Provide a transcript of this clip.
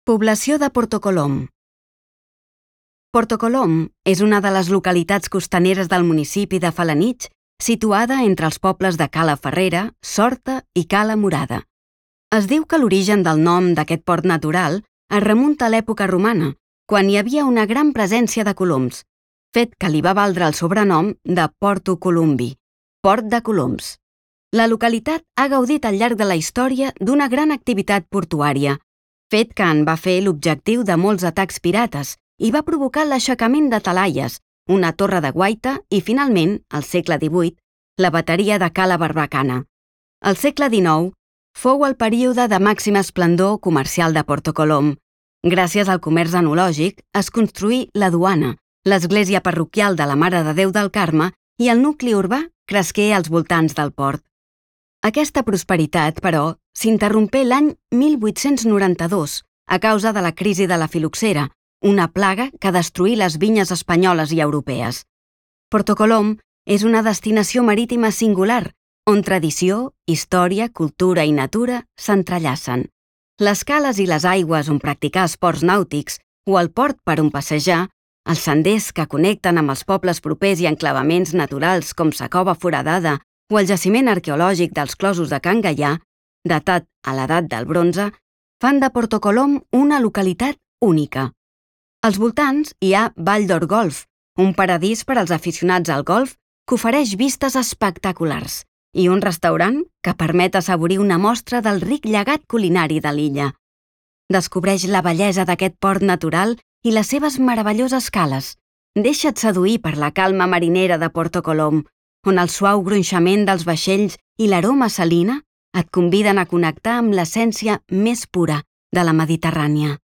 Població de Porto Colom. Porto Colom és una de les localitats costaneres del municipi de Felanitx, situada entre els pobles de Cala Ferrera, Sorta i Cala Murada. Es diu que l'origen del nom d'aquest port natural es remunta a l'època romana, quan hi havia una gran presència de coloms, fet que li va valdre el sobrenom de Porto Columbi, Port de Coloms. La localitat ha gaudit al llarg de la història d'una gran activitat portuària, fet que en va fer l'objectiu de molts atacs pirates i va provocar l'aixecament de talaies, una torre de guaita i, finalment, al segle XVIII, la bateria de Cala Barbacana. Al segle XIX fou el període de màxima esplendor comercial de Porto Colom. Gràcies al comerç enològic es construí la duana, l'església parroquial de la Mare de Déu del Carme i el nucli urbà cresqué als voltants del port. Aquesta prosperitat, però, s'interrompé l'any 1892 a causa de la crisi de la filoxera, una plaga que destruí les vinyes espanyoles i europees. Porto Colom és una destinació marítima singular, on tradició, història, cultura i natura s'entrellacen. Les cales i les aigües on practicar esports nàutics o el port per on passejar, els senders que connecten amb els pobles propers i enclavaments naturals com sa Cova Foradada o el jaciment arqueològic dels closos de Can Gaià, datat a l'edat del bronze, fan de Porto Colom una localitat única. Als voltants hi ha Vall d'Or Golf, un paradís per als aficionats al golf que ofereix vistes espectaculars, i un restaurant que permet assaborir una mostra del ric llegat culinari de l'illa. Descobreix la bellesa d'aquest port natural i les seves meravelloses cales. Deixa't seduir per la calma marinera de Porto Colom, on el suau gronxament dels vaixells i l'aroma salina et conviden a connectar amb l'essència més pura de la Mediterrània.